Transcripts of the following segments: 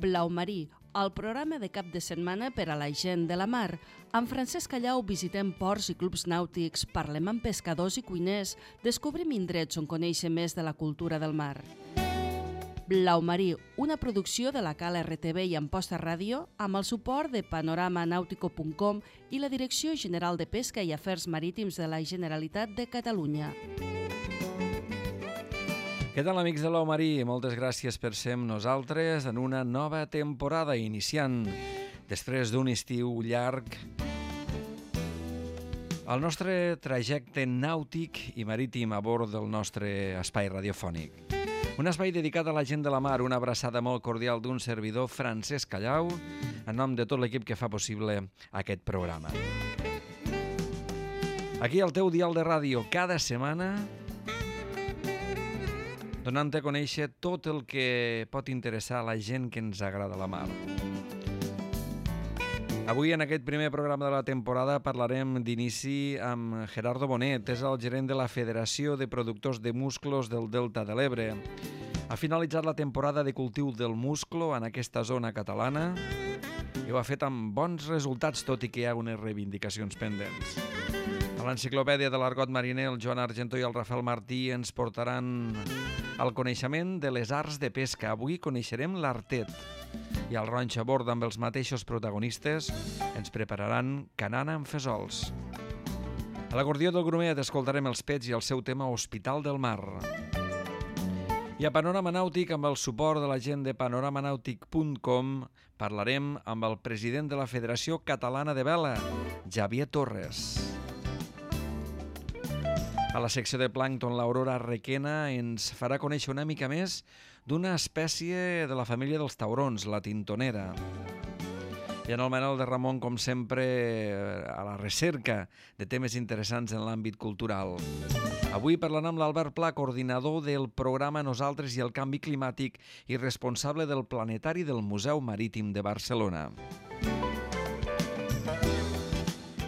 Blau Marí, el programa de cap de setmana per a la gent de la mar. Amb Francesc Callau visitem ports i clubs nàutics, parlem amb pescadors i cuiners, descobrim indrets on conèixer més de la cultura del mar. Blau Marí, una producció de la Cala RTV i Amposta Ràdio amb el suport de panoramanautico.com i la Direcció General de Pesca i Afers Marítims de la Generalitat de Catalunya. Què tal, amics de Blau Marí? Moltes gràcies per ser amb nosaltres en una nova temporada, iniciant després d'un estiu llarg el nostre trajecte nàutic i marítim a bord del nostre espai radiofònic. Un espai dedicat a la gent de la mar, una abraçada molt cordial d'un servidor, Francesc Callau, en nom de tot l'equip que fa possible aquest programa. Aquí al teu dial de ràdio, cada setmana, donant-te a conèixer tot el que pot interessar a la gent que ens agrada la mar. Avui, en aquest primer programa de la temporada, parlarem d'inici amb Gerardo Bonet. És el gerent de la Federació de Productors de Musclos del Delta de l'Ebre. Ha finalitzat la temporada de cultiu del musclo en aquesta zona catalana i ho ha fet amb bons resultats, tot i que hi ha unes reivindicacions pendents. A l'enciclopèdia de l'argot mariner, el Joan Argentó i el Rafael Martí ens portaran al coneixement de les arts de pesca. Avui coneixerem l'artet i el Ronx a bord amb els mateixos protagonistes ens prepararan canana amb fesols. A l'acordió del Grumet escoltarem els Pets i el seu tema Hospital del Mar. I a Panorama Nàutic, amb el suport de la gent de panoramanàutic.com, parlarem amb el president de la Federació Catalana de Vela, Javier Torres. A la secció de plàncton, l'Aurora Requena ens farà conèixer una mica més d'una espècie de la família dels taurons, la tintonera. I en el Manel de Ramon, com sempre, a la recerca de temes interessants en l'àmbit cultural. Avui parlant amb l'Albert Pla, coordinador del programa Nosaltres i el Canvi Climàtic i responsable del Planetari del Museu Marítim de Barcelona.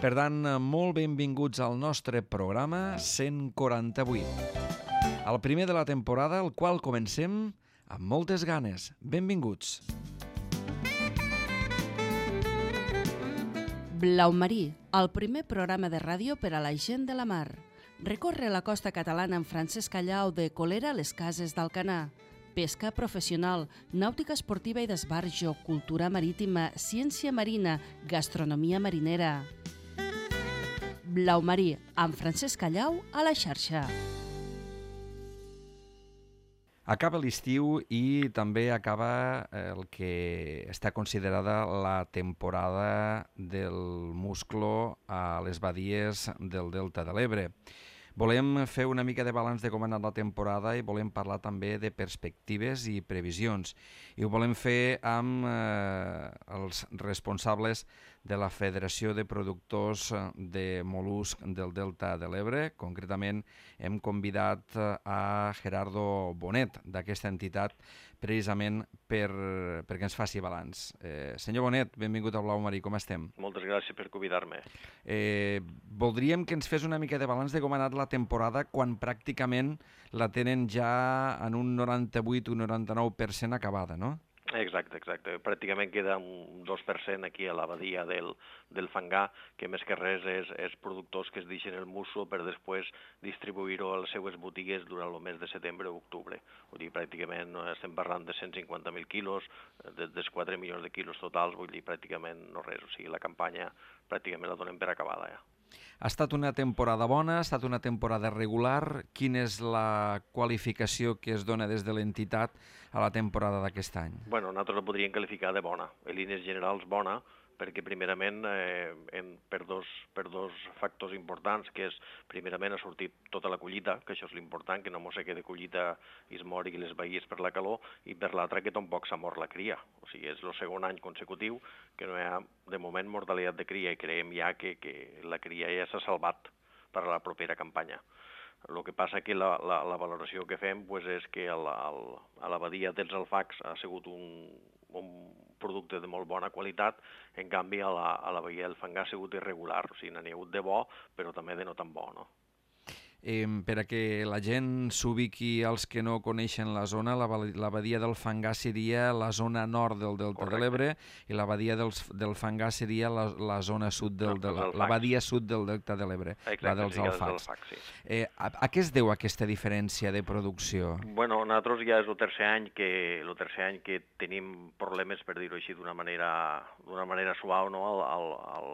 Per tant, molt benvinguts al nostre programa 148. El primer de la temporada, el qual comencem amb moltes ganes. Benvinguts. Blau Marí, el primer programa de ràdio per a la gent de la mar. Recorre la costa catalana amb Francesc Callau de Colera a les Cases d'Alcanar. Pesca professional, nàutica esportiva i d'esbarjo, cultura marítima, ciència marina, gastronomia marinera. Blau Marí, amb Francesc Callau a la xarxa. Acaba l'estiu i també acaba el que està considerada la temporada del musclo a les badies del Delta de l'Ebre. Volem fer una mica de balanç de com ha anat la temporada i volem parlar també de perspectives i previsions. I ho volem fer amb els responsables de la Federació de Productors de Mol·lusc del Delta de l'Ebre. Concretament hem convidat a Gerardo Bonet d'aquesta entitat precisament perquè ens faci balanç. Senyor Bonet, benvingut a Blau Marí, com estem? Moltes gràcies per convidar-me. Voldríem que ens fes una mica de balanç de com ha anat la temporada quan pràcticament la tenen ja en un 98 o 99% acabada, no? Exacte. Pràcticament queda un 2% aquí a la badia del Fangar, que més que res és productors que es deixen el musclo per després distribuir-ho a les seues botigues durant el mes de setembre o octubre. Vull dir, pràcticament estem parlant de 150.000 quilos, dels 4 milions de quilos totals, vull dir, pràcticament no res. O sigui, la campanya pràcticament la donem per acabada ja. Ha estat una temporada bona, ha estat una temporada regular. Quina és la qualificació que es dona des de l'entitat a la temporada d'aquest any? Bueno, nosaltres la podríem qualificar de bona. En línies generals bona, perquè primerament per dos factors importants, que és primerament ha sortit tota la collita, que això és l'important, que no mos quede collita i es mori les baies per la calor, i per l'altra que tampoc s'ha mort la cria. O sigui, és el segon any consecutiu que no hi ha de moment mortalitat de cria i creiem ja que la cria ja s'ha salvat per a la propera campanya. El que passa que la valoració que fem és que a la badia dels Alfacs ha sigut un producte de molt bona qualitat, en canvi a la badia del Fangar ha sigut irregular, o sigui, n'hi ha hagut de bo, però també de no tan bo, no? Per a que la gent s'ubiqui, als que no coneixen la zona, la badia del Fangar seria la zona nord del Delta de l'Ebre i la badia del Fangar seria la zona sud la badia sud del Delta de l'Ebre, la dels alfacs. A què es deu aquesta diferència de producció? Bueno, nosaltres ja és el tercer any que tenim problemes, per dir-ho així d'una manera suau, no? A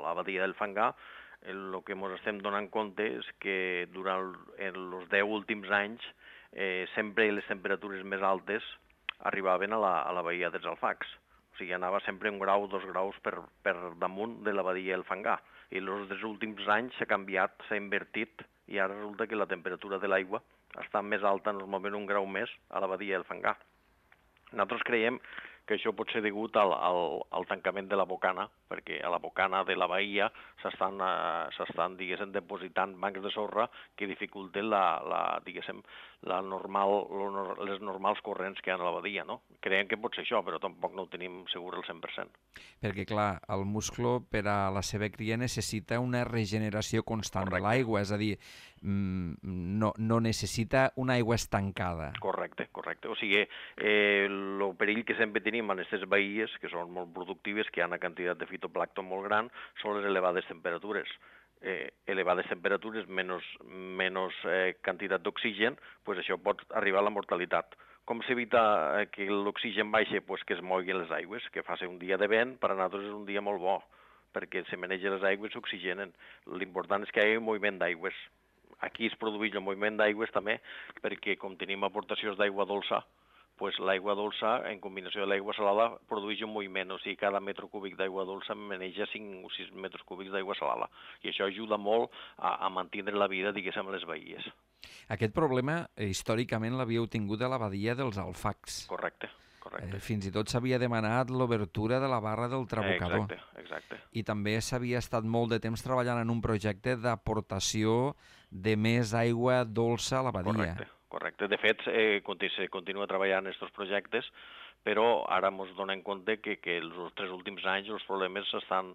la badia del Fangar. El que ens estem donant compte és que durant els 10 últims anys sempre les temperatures més altes arribaven a la badia dels alfacs. O sigui, anava sempre 1 grau, 2 graus per damunt de la badia del Fangar. I els últims anys s'ha canviat, s'ha invertit, i ara resulta que la temperatura de l'aigua està més alta, normalment 1 grau més, a la badia del Fangar. Nosaltres creiem que això pot ser degut al tancament de la bocana, perquè a la bocana de la bahia s'estan diguéssim, depositant bancs de sorra que dificulten les normals corrents que hi ha a la badia, no? Creiem que pot ser això, però tampoc no ho tenim segur al 100%. Perquè, clar, el musclo per a la seva cria necessita una regeneració constant de l'aigua, és a dir, no necessita una aigua estancada. Correcte. O sigui, el perill que sempre tenim en aquestes baies, que són molt productives, que hi ha una quantitat de fitoplàncton molt gran, són les elevades temperatures. Elevades temperatures, menys quantitat d'oxigen, doncs això pot arribar a la mortalitat. Com s'evita que l'oxigen baixi? Pues que es moguin les aigües, que faci un dia de vent, per a nosaltres és un dia molt bo, perquè se manegen les aigües i s'oxigenen. L'important és que hi hagi moviment d'aigües. Aquí es produeix el moviment d'aigües també, perquè com tenim aportacions d'aigua dolça, pues l'aigua dolça, en combinació de l'aigua salada, produeix un moviment, o sigui, cada metre cúbic d'aigua dolça maneja 5 o 6 metres cúbics d'aigua salada, i això ajuda molt a mantenir la vida, diguéssim, a les baies. Aquest problema, històricament, l'havíeu tingut a la badia dels alfacs. Correcte. Fins i tot s'havia demanat l'obertura de la barra del Trabucador. Exacte. I també s'havia estat molt de temps treballant en un projecte d'aportació de més aigua dolça a la badia. Correcte. De fet, se continua treballant en aquests projectes, però ara ens donem compte que els 3 últims anys els problemes s'estan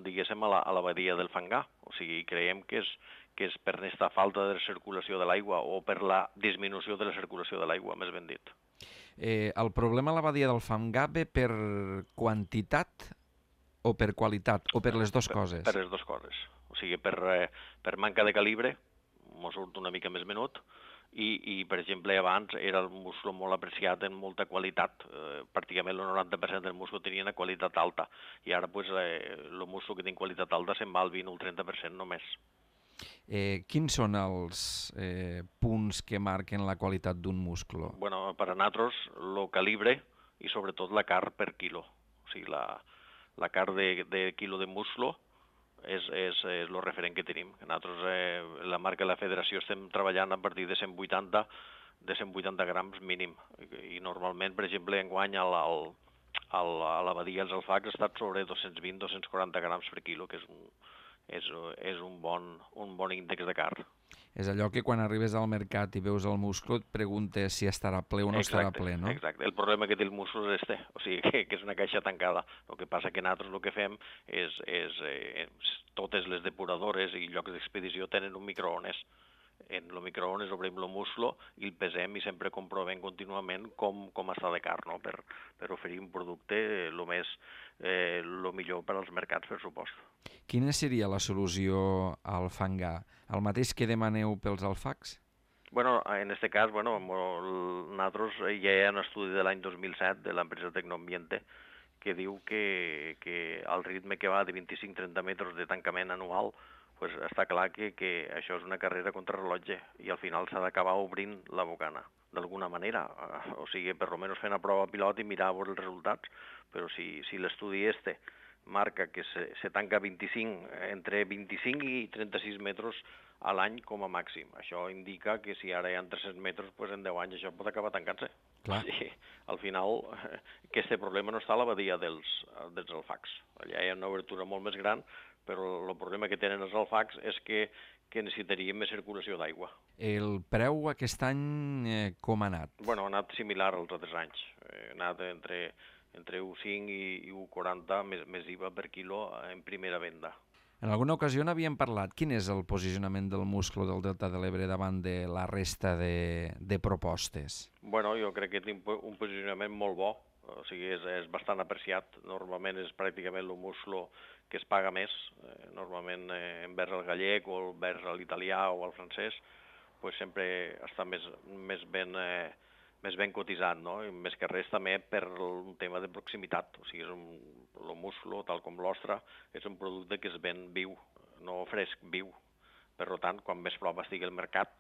diguéssim, a la badia del Fangar. O sigui, creiem que és per aquesta falta de circulació de l'aigua o per la disminució de la circulació de l'aigua, més ben dit. El problema a la badia del Fangar ve per quantitat o per qualitat, o per les dues coses? Per les dues coses. O sigui, per manca de calibre, ens surt una mica més menut, i per exemple, abans era el musclo molt apreciat en molta qualitat, pràcticament el 90% del musclo tenia una qualitat alta, i ara el musclo que té qualitat alta se'n va al 20 o el 30% només. Quins són els punts que marquen la qualitat d'un musclo? Bueno, per a nosaltres, el calibre i sobretot la carn per quilo. O sigui, la carn de quilo de musclo és el referent que tenim. Nosaltres, la marca de la federació, estem treballant a partir de 180 grams mínim. I normalment, per exemple, enguany a la badia dels alfacs ha estat sobre 220-240 grams per quilo, que és un bon índex de carn. És allò que quan arribes al mercat i veus el musclo et preguntes si estarà ple o no estarà ple, no? Exacte. El problema que té el musclo és o sigui, que és una caixa tancada. El que passa que nosaltres el que fem és totes les depuradores i llocs d'expedició tenen un microones. En el microones obrim el musclo i el pesem i sempre comprovem contínuament com està de carn, no? per oferir un producte el millor per als mercats, per supost. Quina seria la solució al Fangar? El mateix que demaneu pels alfacs? Bueno, en aquest cas, nosaltres ja hi ha un estudi de l'any 2007 de l'empresa Tecnoambiente que diu que al ritme que va de 25-30 metres de tancament anual, pues està clar que això és una carrera contra rellotge i al final s'ha d'acabar obrint la bocana, d'alguna manera. O sigui, per almenys fer una prova pilot i mirar els resultats, però si l'estudi marca que se tanca entre 25 i 36 metres a l'any com a màxim. Això indica que si ara hi ha 300 metres, pues en 10 anys això pot acabar tancant-se. Clar. Sí, al final, aquest problema no està a la badia dels alfacs. Allà hi ha una obertura molt més gran, però el problema que tenen els alfacs és que necessitaríem més circulació d'aigua. El preu aquest any com ha anat? Bueno, ha anat similar als altres anys. Ha anat entre 1,5 i 1,40 més IVA per quilo en primera venda. En alguna ocasió n'havíem parlat. Quin és el posicionament del musclo del Delta de l'Ebre davant de la resta de propostes? Bueno, jo crec que té un posicionament molt bo, o sigui, és bastant apreciat. Normalment és pràcticament el musclo que es paga més, normalment envers el gallec o envers l'italià o el francès, pues sempre està més ben cotitzat, no? I més que res també per un tema de proximitat, o sigui, el musclo, tal com l'ostre, és un producte que es ven viu, no fresc, viu. Per tant, quan més prop estigui el mercat,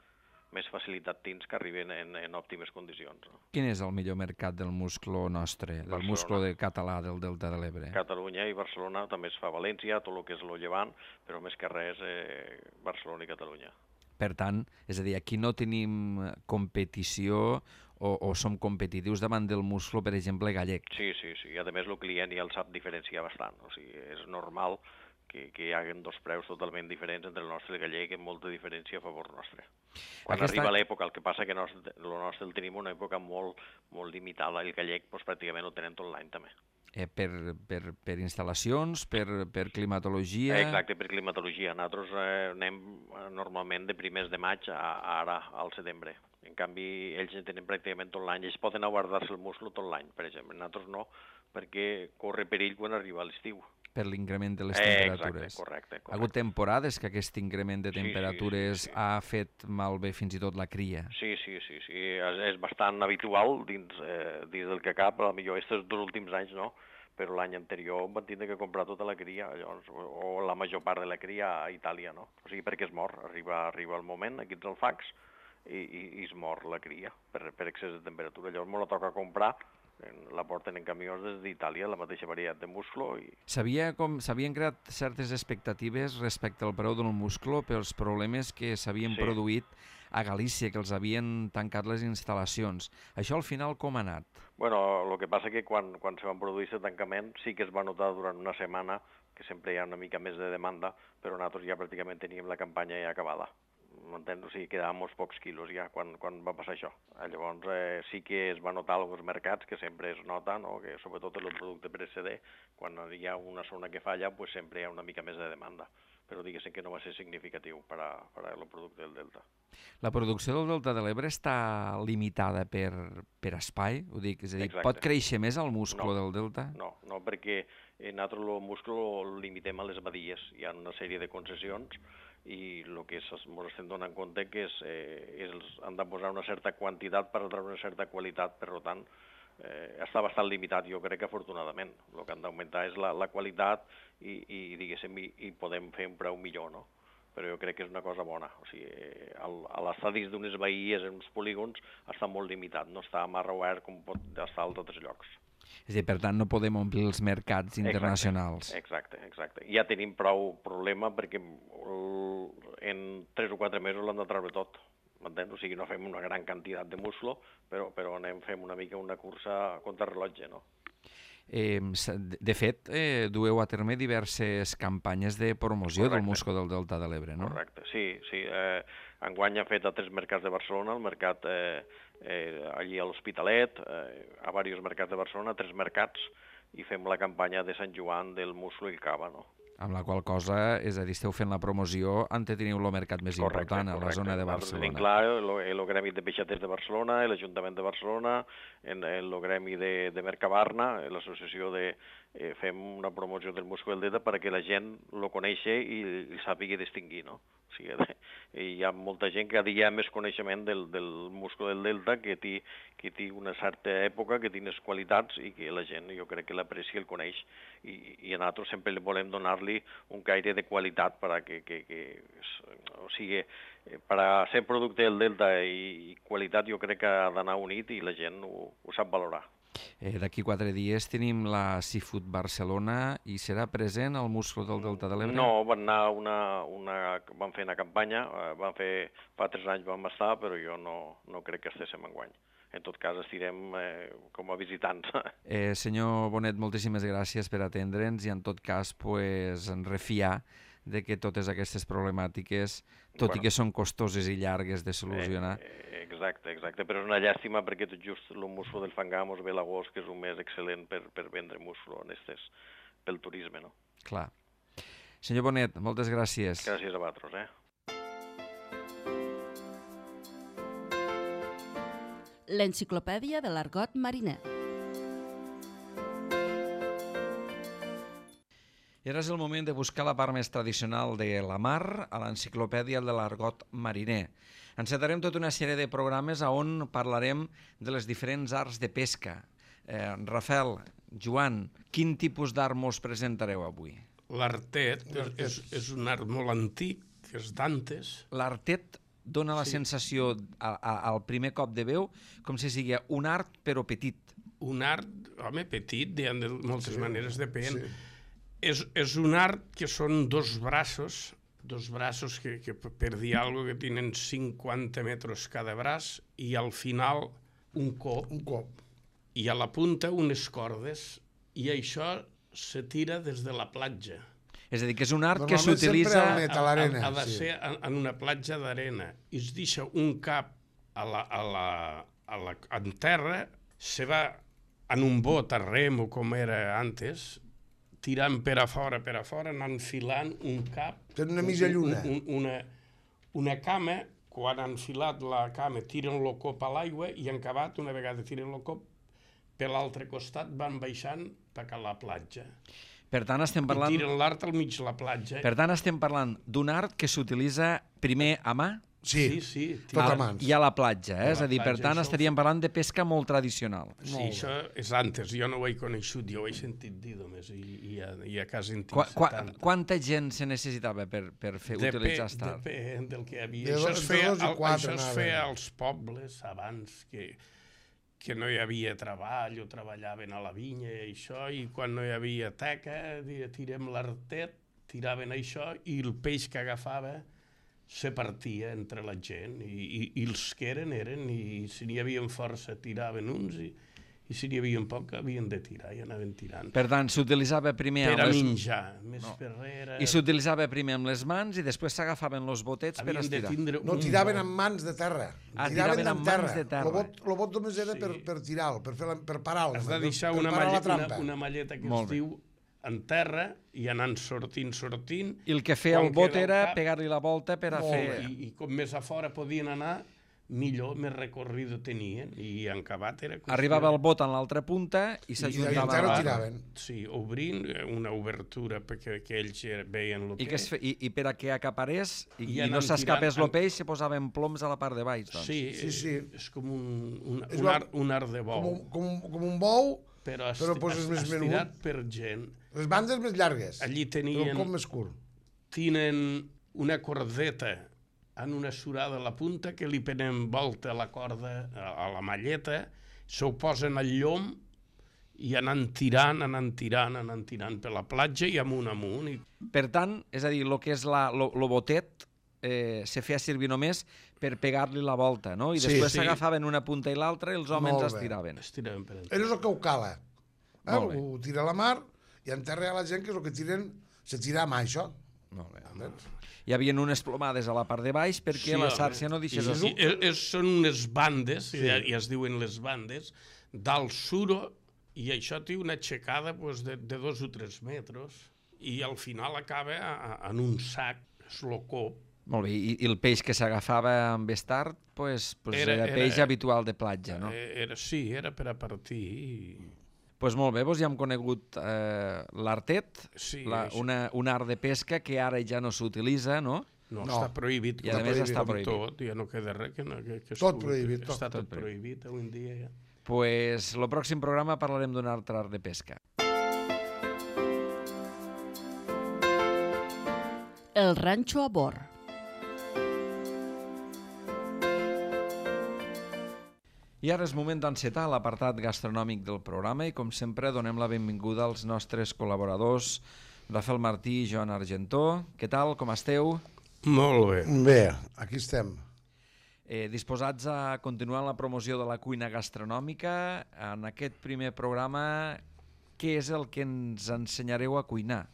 més facilitat tens que arriben en òptimes condicions. No? Quin és el millor mercat del musclo nostre, del musclo català del Delta de l'Ebre? Catalunya i Barcelona, també es fa a València, tot el que és el Llevant, però més que res Barcelona i Catalunya. Per tant, és a dir, aquí no tenim competició o som competitius davant del musclo, per exemple, gallec. Sí. I a més el client ja el sap diferenciar bastant. O sigui, és normal que hi hagi dos preus totalment diferents entre el nostre i el gallec, amb molta diferència a favor nostre. Quan arriba l'època, el que passa que el nostre el tenim una època molt limitada, el gallec pràcticament el tenem tot l'any també. Per instal·lacions, per climatologia... Exacte, per climatologia. Nosaltres anem normalment de primers de maig a ara, al setembre. En canvi, ells tenen pràcticament tot l'any. Ells poden guardar-se el musclo tot l'any, per exemple. Nosaltres no, perquè corre perill quan arriba l'estiu. Per l'increment de les temperatures. Exacte, correcte. Ha hagut temporades que aquest increment de temperatures ha fet malbé fins i tot la cria. Sí. És bastant habitual dins del que cap. Potser aquests dos últims anys no, però l'any anterior van tindre que comprar tota la cria, llavors, o la major part de la cria a Itàlia, no? O sigui, perquè es mor. Arriba el moment, aquí ets el fax, i es mor la cria per excés de temperatura. Llavors me la toca comprar, la porten en camions des d'Itàlia, la mateixa varietat de musclo. S'havien creat certes expectatives respecte al preu del musclo pels problemes que s'havien produït a Galícia, que els havien tancat les instal·lacions. Això al final com ha anat? Bueno, el que passa que quan se van produir aquest tancament sí que es va notar durant una setmana que sempre hi ha una mica més de demanda, però nosaltres ja pràcticament teníem la campanya ja acabada. M'entens? O sigui, quedaven molts pocs quilos ja quan va passar això. Llavors sí que es va notar alguns mercats, que sempre es nota, no? Que sobretot el producte precedent, quan hi ha una zona que falla, pues sempre hi ha una mica més de demanda. Però diguéssim que no va ser significatiu per al producte del Delta. La producció del Delta de l'Ebre està limitada per espai? Ho dic, és a dir, exacte. Pot créixer més el musclo del Delta? No, perquè nosaltres el musclo el limitem a les badies. Hi ha una sèrie de concessions i el que ens estem donant compte que han de posar una certa quantitat per treure una certa qualitat, per tant, està bastant limitat, jo crec que afortunadament. El que han d'augmentar és la qualitat i diguéssim, i podem fer un preu millor, no? Però jo crec que és una cosa bona. O sigui, l'estadis d'unes bahies, en uns polígons, està molt limitat, no està amarra obert com pot estar als altres llocs. És a dir, per tant, no podem omplir els mercats internacionals. Exacte. Ja tenim prou problema perquè en 3 o 4 mesos l'han de treure tot. M'entens? O sigui, no fem una gran quantitat de musclo, però fem una mica una cursa contra rellotge, no? De fet, dueu a terme diverses campanyes de promoció del musclo del Delta de l'Ebre, no? Correcte, sí. Enguany ha fet a 3 mercats de Barcelona, el mercat allí a l'Hospitalet, a diversos mercats de Barcelona, 3 mercats, i fem la campanya de Sant Joan del musclo i el cava, no? Amb la qual cosa, és a dir, esteu fent la promoció on teniu el mercat més important, a la zona de Barcelona. Tenim clar el gremi de peixaters de Barcelona, l'Ajuntament de Barcelona, el gremi de Mercabarna, l'associació fem una promoció del musclo del Delta perquè la gent lo coneixi i sàpiga distingir, no? O sigui, hi ha molta gent que hi ha més coneixement del musclo del Delta, que té una certa època, que té unes qualitats i que la gent, jo crec que l'aprecia i el coneix. I a nosaltres sempre volem donar-li un caire de qualitat o sigui, per a ser producte del Delta i qualitat jo crec que ha d'anar unit i la gent ho sap valorar. D'aquí 4 dies tenim la Seafood Barcelona i serà present el musclo del Delta de l'Ebre? No, van fer una campanya, fa 3 anys vam estar, però jo no crec que estiguem enguany. En tot cas, estirem com a visitants. Senyor Bonet, moltíssimes gràcies per atendre'ns i en tot cas en refiar de que totes aquestes problemàtiques, tot i que són costoses i llargues de solucionar... Exacte, però és una llàstima perquè tot just el musclo del Fangamos ve l'agost, que és un mes excel·lent per vendre musclo pel turisme, no? Clar. Senyor Bonet, moltes gràcies. Gràcies a vosaltres, L'enciclopèdia de l'argot mariner. I ara és el moment de buscar la part més tradicional de la mar a l'enciclopèdia de l'argot mariner. Encetarem tota una sèrie de programes on parlarem de les diferents arts de pesca. Rafael, Joan, quin tipus d'art mos presentareu avui? L'artet és un art molt antic, que és d'antes. L'artet dona la sensació al primer cop de veu com si sigui un art però petit. Un art, home, petit, hi ha de moltes maneres, depèn. És un art que són dos braços que per dir alguna cosa que tenen 50 metres cada braç i al final un cop. I a la punta unes cordes i això se tira des de la platja. És a dir, que és un art que s'utilitza... Ha de ser en una platja d'arena. I es deixa un cap en terra, se va en un bot a rem o com era antes, tirant per a fora, anant filant un cap... Tenen una mitja lluna. Una cama, quan han filat la cama, tiren el cop a l'aigua i en acabat, una vegada tiren el cop, per l'altre costat van baixant per a la platja. Per tant, estem parlant... I tiren l'art al mig de la platja. Per tant, estem parlant d'un art que s'utilitza primer a mà Sí, tot a mans. i a la platja. És a dir, per tant, estaríem parlant de pesca molt tradicional. Sí, això és antes. Jo no ho he coneixut, jo ho he sentit dir només i a casa en tinc 70. Quanta gent se necessitava per utilitzar aquest art? Depèn del que hi havia. Això es feia als pobles abans que no hi havia treball o treballaven a la vinya i això, i quan no hi havia teca, tirem l'artet, tiraven això i el peix que agafava se partia entre la gent i els que eren, i si n'hi havia força tiraven uns i si n'hi havia poc havien de tirar i anaven tirant. Per tant, s'utilitzava primer per a menjar, més per rere... I s'utilitzava primer amb les mans i després s'agafaven els botets per estirar. No, tiraven amb mans de terra. Tiraven amb mans de terra. El bot només era per tirar-lo, per parar-lo. Has de deixar una malleta que es diu en terra i anant sortint. I el que feia el bot era pegar-li la volta per a fer... I com més a fora podien anar, millor, més recorrido tenien, i en acabat era... Arribava el bot en l'altra punta i s'ajuntava... I tiraven. Sí, obrint una obertura perquè ells veien el peix. I per a que acaparés i no s'escapés el peix, se posaven ploms a la part de baix. Sí, és com un art de bou. Com un bou, però poses més menut. Estirat per gent. Les bandes més llargues, allí tenien... però el cop més curt. Tenen una cordeta en una surada a la punta que li prenen volta a la corda, a la malleta, s'ho posen al llom i anant tirant per la platja i amunt. Per tant, és a dir, el que és el botet se feia servir només per pegar-li la volta, no? I després s'agafaven una punta i l'altra i els homes estiraven. Per és el que ho cala. Ho tira a la mar i en terra hi ha la gent que és el que se tira amb això. Molt bé. Hi havia unes plomades a la part de baix perquè la xarxa no deixés... Són unes bandes, i es diuen les bandes, dalt suro, i això té una aixecada de 2 o 3 metres, i al final acaba en un sac, és el cop. Molt bé, i el peix que s'agafava amb estart era peix habitual de platja, no? Sí, era per a partir... Doncs molt bé, ja hem conegut l'artet, un art de pesca que ara ja no s'utilitza, no? No, està prohibit. I a més està prohibit. Tot, ja no queda res. Tot prohibit. Està tot prohibit avui en dia ja. Doncs el pròxim programa parlarem d'un altre art de pesca. El ranxo a bord. I ara és moment d'encetar l'apartat gastronòmic del programa i, com sempre, donem la benvinguda als nostres col·laboradors, Rafael Martí i Joan Argentó. Què tal, com esteu? Molt bé. Bé, aquí estem. Disposats a continuar la promoció de la cuina gastronòmica. En aquest primer programa, què és el que ens ensenyareu a cuinar?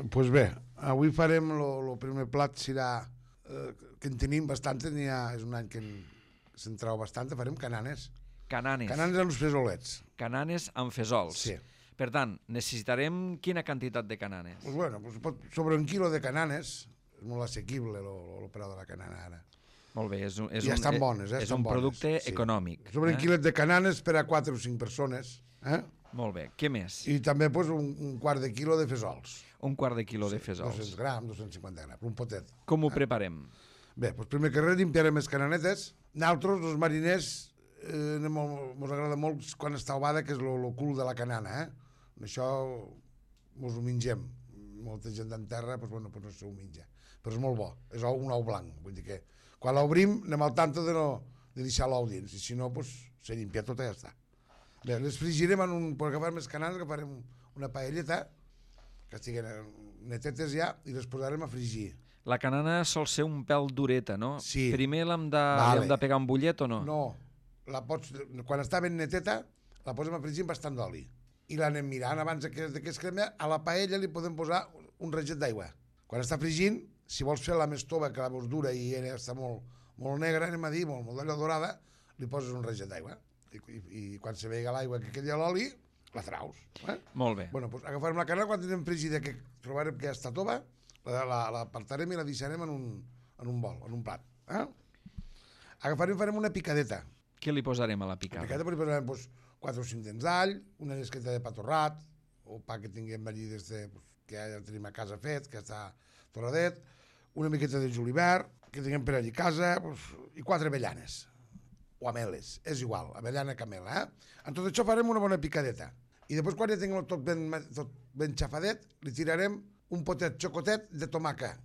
Doncs bé, avui farem el primer plat, serà que en tenim bastant, és un any que se'n trau bastant, farem cananes. Cananes. Cananes amb fesolets. Cananes amb fesols. Sí. Per tant, necessitarem quina quantitat de cananes? Pues bueno, sobre 1 quilo de cananes, és molt assequible el preu de la canana ara. Molt bé, I estan bones, és un producte econòmic. Sobre 1 quilet de cananes per a 4 o 5 persones. Molt bé, què més? I també un quart de quilo de fesols. Un quart de quilo de fesols. 200 grams, 250 grams, un potet. Com ho preparem? Bé, doncs primer que res limpiarem les cananetes. Nosaltres, els mariners, ens agrada molt quan està ovada, que és el cul de la canana. Això ens ho mengem. Molta gent en terra no s'ho menja. Però és molt bo, és un ou blanc. Vull dir que quan l'obrim anem al tanto de deixar l'ou dins, i si no, se limpia tot i ja està. Bé, les frigirem per agafar més cananes, agafarem una paelleta, que estiguen netetes ja, i les posarem a frigir. La canana sol ser un pèl dureta, no? Sí. Primer l'hem de pegar un bullet o no? No, quan està ben neteta, la posem a frigir amb bastant d'oli. I l'anem mirant abans que es crema. A la paella li podem posar un raget d'aigua. Quan està frigint, si vols fer la més tova, que la vols dura i està molt negra, anem a dir, molt d'allò dorada, li poses un raget d'aigua. I quan se veiga l'aigua que quedi a l'oli, la traus. Molt bé. Bueno, doncs agafarem la canana, quan tenim frigida, que trobarem que ja està tova, l'apartarem i la deixarem en un bol, en un plat. Agafarem i farem una picadeta. Què li posarem a la picada? A la picadeta li posarem 4 o 5 dents d'all, una llesqueta de pa torrat, o pa que tinguem allí que ja tenim a casa fet, que està torradet, una miqueta de julivert, que tinguem per allí a casa, i 4 avellanes, o ameles, és igual, avellana camela. En tot això farem una bona picadeta. I després, quan ja tinguem tot ben xafadet, li tirarem un potet xocotet de tomaca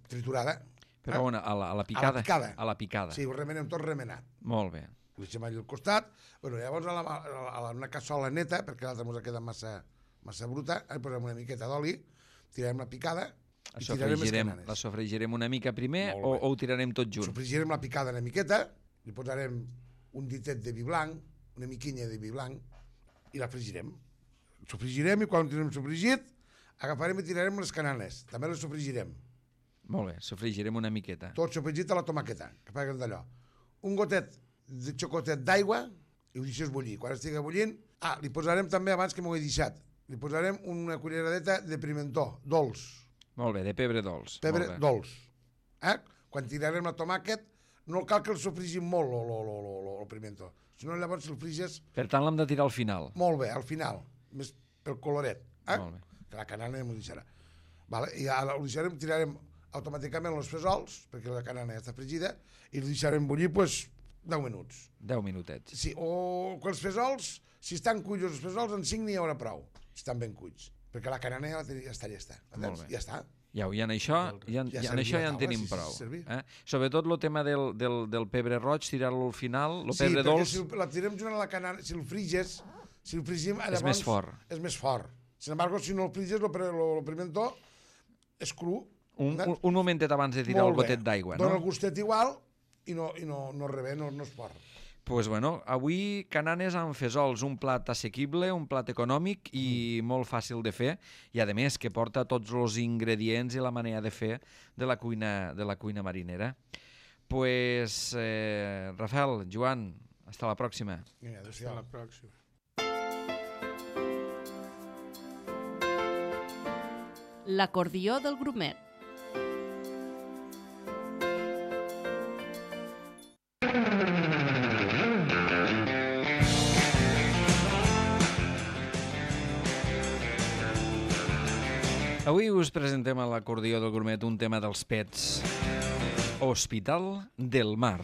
triturada. Però on? A la picada? A la picada. Sí, ho remenem tot remenat. Molt bé. Ho deixem allà al costat. Llavors, a una cassola neta, perquè l'altra ens ha quedat massa bruta, posem una miqueta d'oli, tirarem la picada i tirarem les cananes. La sofregirem una mica primer o ho tirarem tot junt? Sofregirem la picada una miqueta, li posarem un ditet de vi blanc, una miquinya de vi blanc, i la fregirem. Sofregirem i quan tenim sofregit, agafarem i tirarem les cananes. També les sofregirem. Molt bé, sofregirem una miqueta. Tot sofregit a la tomaqueta, que paguen d'allò. Un gotet de xocotet d'aigua i ho deixes bullir. Quan estigui bullint, li posarem també, abans que m'ho he deixat, li posarem una culleradeta de pimentó, dolç. Molt bé, de pebre dolç. Pebre dolç. Quan tirarem la tomàquet, no cal que el sofrigim molt, el pimentó. Si no, llavors el friges... Per tant, l'hem de tirar al final. Molt bé, al final, més pel coloret. Molt bé. Que la canana m'ho deixarà. I ara ho deixarem, tirarem automàticament els fesols, perquè la canana ja està fregida, i el deixarem bullir, 10 minuts. 10 minutets. Sí, o que els fesols, si estan cuits els fesols, en 5 n'hi haurà prou, si estan ben cuits, perquè la canana ja està llesta. Molt bé. Ja està. I en això ja en tenim prou. Sobretot el tema del pebre roig, tirar-lo al final, el pebre dolç... Sí, perquè si la tirem junt a la canana, si el friges, si el frigim... És més fort. És més fort. Sin embargo, si no el friges, el pimentó és cru. Un momentet abans de tirar el gotet d'aigua, no? Dona el gustet igual i no és fort. Doncs bueno, avui cananes amb fesols, un plat assequible, un plat econòmic i molt fàcil de fer, i a més que porta tots els ingredients i la manera de fer de la cuina marinera. Pues, Rafael, Joan, hasta la pròxima. Hasta la pròxima. L'acordió del grumet. Avui us presentem a l'acordió del grumet un tema dels pets. Hospital del Mar.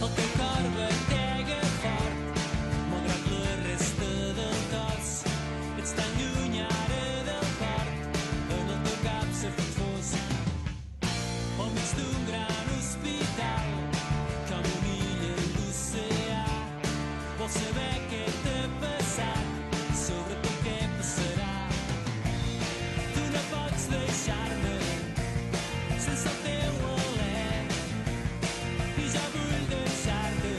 El teu cor batega fort, malgrat la resta del cos. Ets tan lluny ara del port, en el teu cap s'ha fet fosc. Al mig d'un gran hospital, com una illa a l'oceà. Vols saber què t'ha passat, sobretot què passarà. Tu no pots deixar-me sense el teu alè, i jo vull deixar-te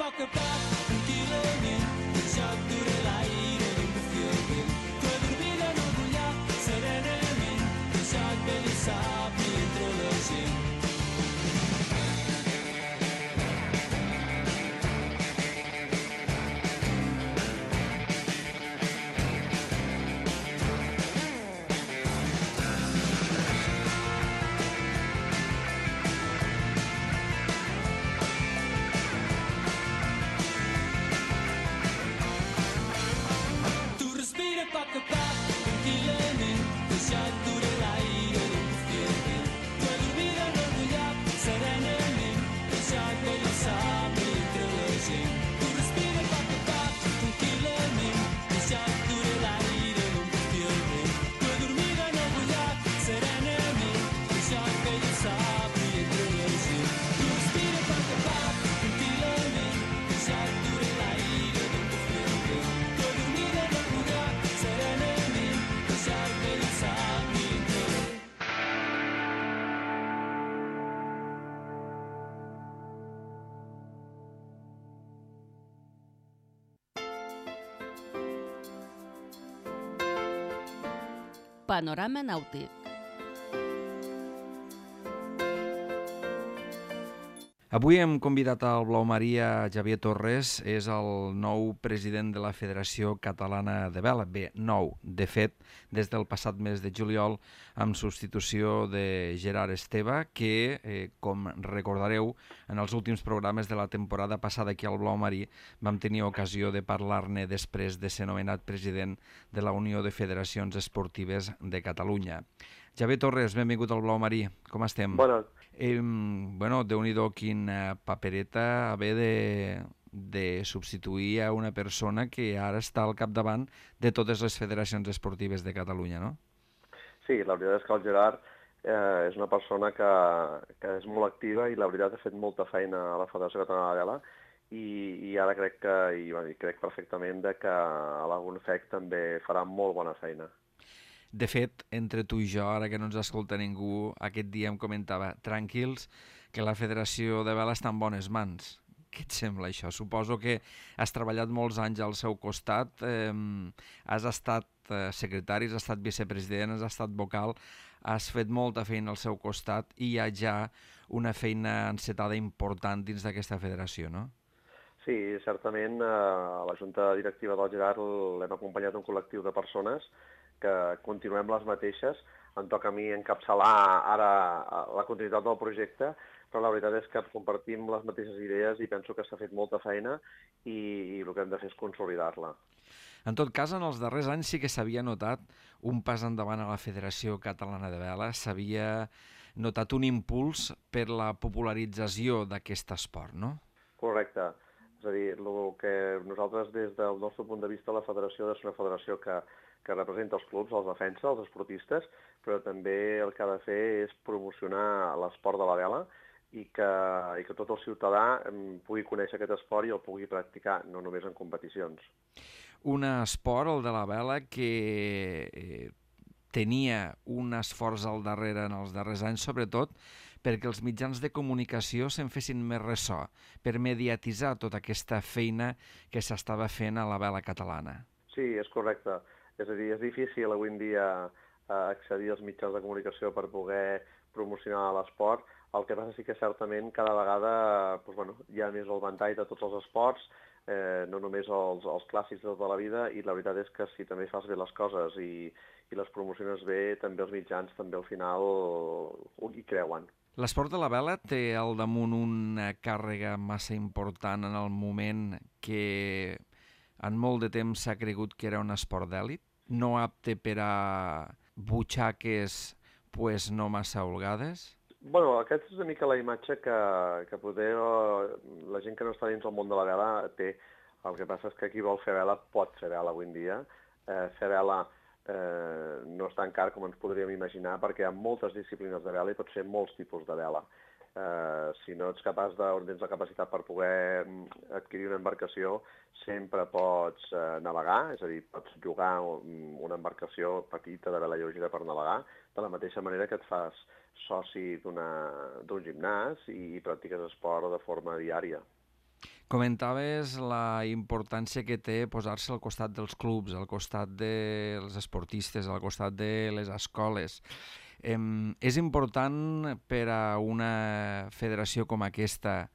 poc a poc, tranquil·lament, el joc dura l'aire d'un bufí al vent. Tu adormida en algun lloc, serenament, el joc ve i sap i entre la gent. Respira poc a poc, tranquil·lament, que el joc dura l'aire d'un bufí al vent. Tu adormida en algun lloc, serenament, que el joc ve i sap i entre la gent. Tu respira poc a poc, tranquil·lament, que el joc dura l'aire d'un bufí al vent. Tu adormida en algun lloc, serenament, que el joc ve i sap i entre la gent. Tu respira poc a poc, tranquil·lament, que el joc dura l'aire d'un bufí al vent. Tu adormida en algun lloc, serenament, que el joc ve i sap i entre la gent. Panorama nàutic. Avui hem convidat al Blau Maria Xavier Torres, és el nou president de la Federació Catalana de Vela. Bé, nou, de fet, des del passat mes de juliol, amb substitució de Gerard Esteve, que, com recordareu, en els últims programes de la temporada passada aquí al Blau Marí vam tenir ocasió de parlar-ne després de ser nomenat president de la Unió de Federacions Esportives de Catalunya. Xavier Torres, benvingut al Blau Marí. Com estem? Bona. Bueno, Déu-n'hi-do quina papereta haver de substituir a una persona que ara està al capdavant de totes les federacions esportives de Catalunya, no? Sí, la veritat és que el Gerard és una persona que és molt activa i la veritat ha fet molta feina a la Federació Catalana de Vela i ara crec perfectament que a l'Agunfec també farà molt bona feina. De fet, entre tu i jo, ara que no ens escolta ningú, aquest dia em comentava, tranquils, que la Federació de Vela està en bones mans. Què et sembla això? Suposo que has treballat molts anys al seu costat, has estat secretari, has estat vicepresident, has estat vocal, has fet molta feina al seu costat i hi ha ja una feina encetada important dins d'aquesta federació, no? Sí, certament a la Junta Directiva del Gerard l'hem acompanyat un col·lectiu de persones que continuem les mateixes. Em toca a mi encapçalar ara la continuïtat del projecte, però la veritat és que compartim les mateixes idees i penso que s'ha fet molta feina i el que hem de fer és consolidar-la. En tot cas, en els darrers anys sí que s'havia notat un pas endavant a la Federació Catalana de Vela, s'havia notat un impuls per la popularització d'aquest esport, no? Correcte. És a dir, el que nosaltres des del nostre punt de vista la federació és una federació que representa els clubs, els defensa, els esportistes, però també el que ha de fer és promocionar l'esport de la vela i que tot el ciutadà pugui conèixer aquest esport i el pugui practicar, no només en competicions. Un esport, el de la vela, que tenia un esforç al darrere en els darrers anys, sobretot perquè els mitjans de comunicació se'n fessin més ressò, per mediatitzar tota aquesta feina que s'estava fent a la vela catalana. Sí, és correcte. És a dir, és difícil avui en dia accedir als mitjans de comunicació per poder promocionar l'esport. El que passa sí que certament cada vegada hi ha més el ventall de tots els esports, no només els clàssics de tota la vida, i la veritat és que si també fas bé les coses i les promociones bé, també els mitjans també al final hi creuen. L'esport de la vela té al damunt una càrrega massa important en el moment que en molt de temps s'ha cregut que era un esport d'èlit, no apte per a butxaques no massa holgades? Bueno, aquesta és una mica la imatge que poder la gent que no està dins del món de la vela té. El que passa és que qui vol fer vela pot fer vela avui en dia. Fer vela no és tan car com ens podríem imaginar perquè hi ha moltes disciplines de vela i pots fer molts tipus de vela. Si no ets capaç tens la capacitat per poder adquirir una embarcació, sempre pots navegar, és a dir, pots llogar una embarcació petita de vela lleugera per navegar, de la mateixa manera que et fas soci d'un gimnàs i practiques esport de forma diària. Comentaves la importància que té posar-se al costat dels clubs, al costat dels esportistes, al costat de les escoles. És important per a una federació com aquesta,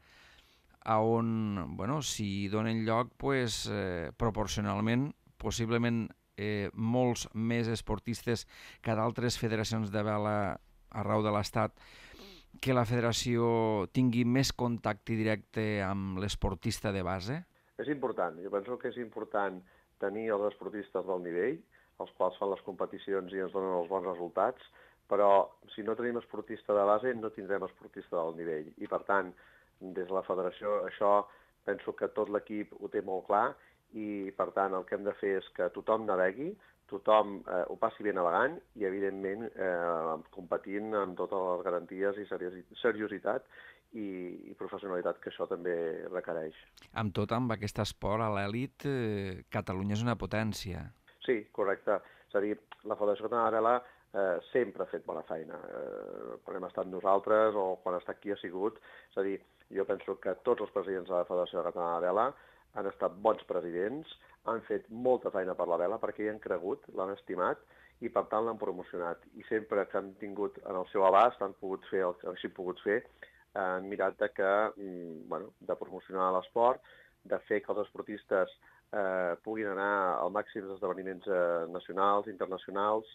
on, bueno, si donen lloc, pues, proporcionalment, possiblement molts més esportistes que d'altres federacions de vela arreu de l'Estat, que la federació tingui més contacte directe amb l'esportista de base? És important. Jo penso que és important tenir els esportistes del nivell, els quals fan les competicions i ens donen els bons resultats, però si no tenim esportista de base no tindrem esportista del nivell. I per tant, des de la federació això penso que tot l'equip ho té molt clar i per tant el que hem de fer és que tothom navegui, tothom ho passi bé navegant i, evidentment, competint amb totes les garanties i seriositat i professionalitat que això també requereix. Amb tot, amb aquest esport a l'elit, Catalunya és una potència. Sí, correcte. És a dir, la Federació Catalana de Vela sempre ha fet bona feina. Quan hem estat nosaltres o quan ha estat qui ha sigut. És a dir, jo penso que tots els presidents de la Federació Catalana de Vela han estat bons presidents, han fet molta feina per la vela perquè hi han cregut, l'han estimat i per tant l'han promocionat. I sempre que han tingut en el seu abast, han pogut fer el que hagin pogut fer, han mirat de promocionar l'esport, de fer que els esportistes puguin anar al màxim d'esdeveniments nacionals, internacionals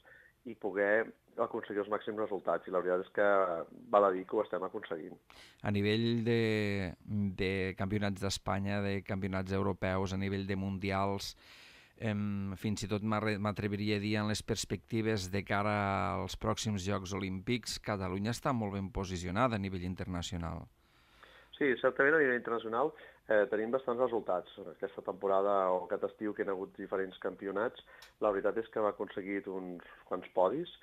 i poder aconseguir els màxims resultats. I la veritat és que val a dir que ho estem aconseguint. A nivell de campionats d'Espanya, de campionats europeus, a nivell de mundials, fins i tot m'atreviria a dir en les perspectives de cara als pròxims Jocs Olímpics, Catalunya està molt ben posicionada a nivell internacional. Sí, certament a nivell internacional tenim bastants resultats. Aquesta temporada o aquest estiu que hi ha hagut diferents campionats, la veritat és que hem aconseguit uns quants podis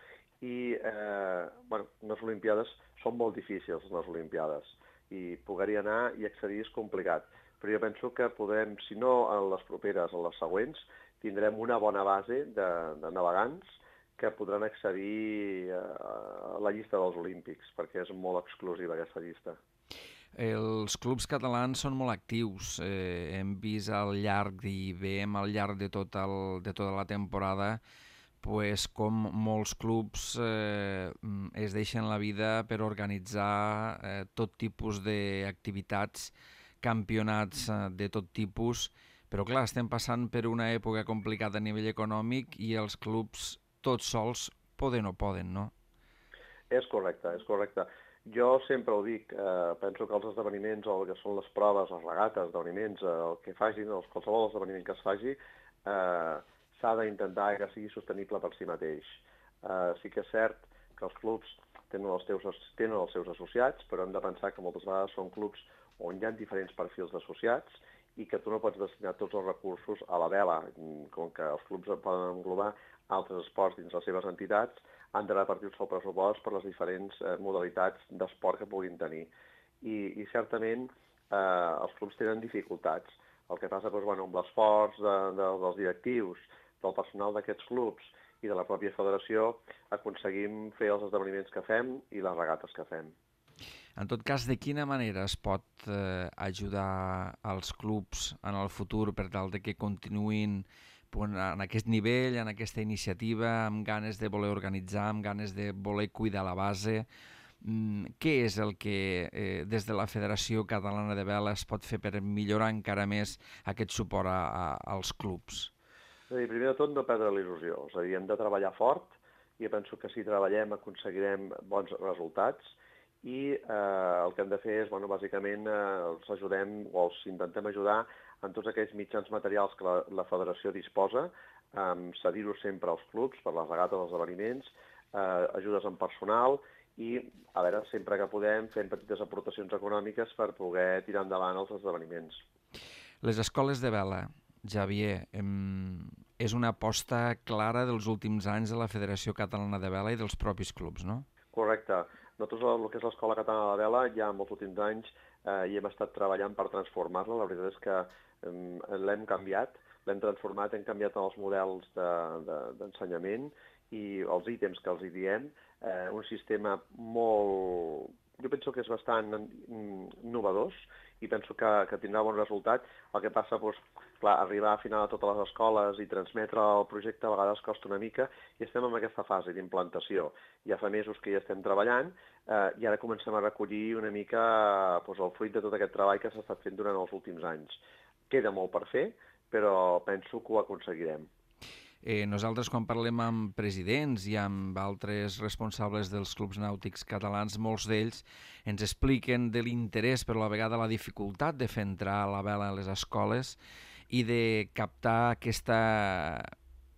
i les Olimpiades són molt difícils, les Olimpiades, i poder-hi anar i accedir és complicat. Però jo penso que podem, si no en les properes, en les següents, tindrem una bona base de navegants que podran accedir a la llista dels Olímpics, perquè és molt exclusiva aquesta llista. Els clubs catalans són molt actius. Hem vist al llarg i veiem al llarg de tota la temporada com molts clubs es deixen la vida per organitzar tot tipus d'activitats, campionats de tot tipus, però clar, estem passant per una època complicada a nivell econòmic i els clubs tots sols poden o poden, no? És correcte, és correcte. Jo sempre ho dic, penso que els esdeveniments, o el que són les proves, les regates, esdeveniments, el que facin, qualsevol esdeveniment que es faci, s'ha d'intentar que sigui sostenible per si mateix. Sí que és cert que els clubs tenen els seus associats, però hem de pensar que moltes vegades són clubs on hi ha diferents perfils d'associats i que tu no pots destinar tots els recursos a la vela. Com que els clubs poden englobar altres esports dins les seves entitats, han de repartir el seu pressupost per les diferents modalitats d'esport que puguin tenir. I certament els clubs tenen dificultats. El que passa amb l'esforç dels directius, del personal d'aquests clubs i de la pròpia federació, aconseguim fer els esdeveniments que fem i les regates que fem. En tot cas, de quina manera es pot ajudar als clubs en el futur per tal de que continuïn en aquest nivell, en aquesta iniciativa, amb ganes de voler organitzar, amb ganes de voler cuidar la base? Què és el que des de la Federació Catalana de Vela es pot fer per millorar encara més aquest suport als clubs? És a dir, primer de tot, no perdre la il·lusió. És a dir, hem de treballar fort i jo penso que si treballem aconseguirem bons resultats i el que hem de fer és, bàsicament, els ajudem o els intentem ajudar en tots aquells mitjans materials que la federació disposa, cedir-ho sempre als clubs per les regates dels esdeveniments, ajudes en personal i, a veure, sempre que podem, fem petites aportacions econòmiques per poder tirar endavant els esdeveniments. Les escoles de vela, Xavier, és una aposta clara dels últims anys de la Federació Catalana de Vela i dels propis clubs, no? Correcte. Nosaltres, el que és l'Escola Catalana de Vela, ja en els últims anys hi hem estat treballant per transformar-la. La veritat és que l'hem canviat, l'hem transformat, hem canviat els models d'ensenyament i els ítems que els hi diem. Un sistema molt... Jo penso que és bastant innovador i penso que tindrà bon resultat. El que passa, doncs, clar, arribar a final a totes les escoles i transmetre el projecte a vegades costa una mica, i estem en aquesta fase d'implantació. Ja fa mesos que hi estem treballant, i ara comencem a recollir una mica doncs, el fruit de tot aquest treball que s'ha estat fent durant els últims anys. Queda molt per fer, però penso que ho aconseguirem. Nosaltres, quan parlem amb presidents i amb altres responsables dels clubs nàutics catalans, molts d'ells ens expliquen de l'interès, però a la vegada la dificultat de fer entrar la vela a les escoles i de captar aquesta,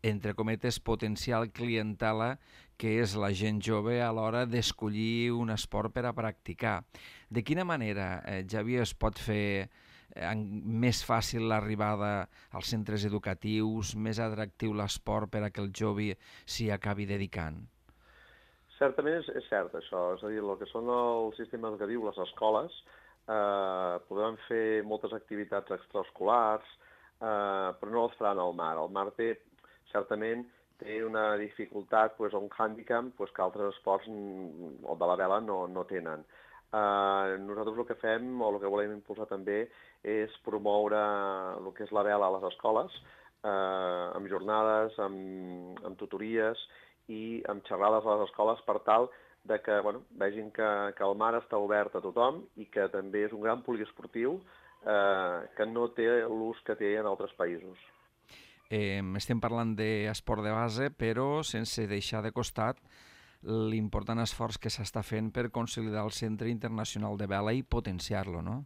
entre cometes, potencial clientela que és la gent jove a l'hora d'escollir un esport per a practicar. De quina manera, Xavier, es pot fer més fàcil l'arribada als centres educatius, més atractiu l'esport per a que el jove s'hi acabi dedicant? Certament és cert això, és a dir, el que són el sistema educatiu, les escoles, podran fer moltes activitats extraescolars, però no les faran al mar. El mar certament té una dificultat, un hàndicap que altres esports o de la vela no tenen. Nosaltres el que fem, o el que volem impulsar també, és promoure el que és la vela a les escoles, amb jornades, amb tutories i amb xerrades a les escoles per tal de que vegin que el mar està obert a tothom i que també és un gran poliesportiu que no té l'ús que té en altres països. Estem parlant d'esport de base, però sense deixar de costat l'important esforç que s'està fent per consolidar el Centre Internacional de Vela i potenciar-lo, no?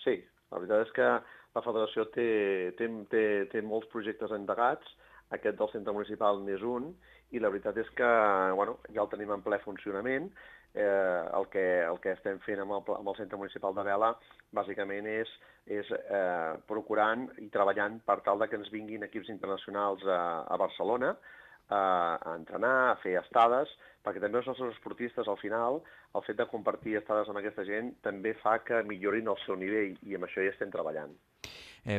Sí, la veritat és que la federació té molts projectes endegats, aquest del centre municipal n'és un, i la veritat és que ja el tenim en ple funcionament. El que estem fent amb el centre municipal de vela bàsicament és procurant i treballant per tal que ens vinguin equips internacionals a Barcelona a entrenar, a fer estades, perquè també els nostres esportistes, al final, el fet de compartir estades amb aquesta gent també fa que millorin el seu nivell, i amb això ja estem treballant.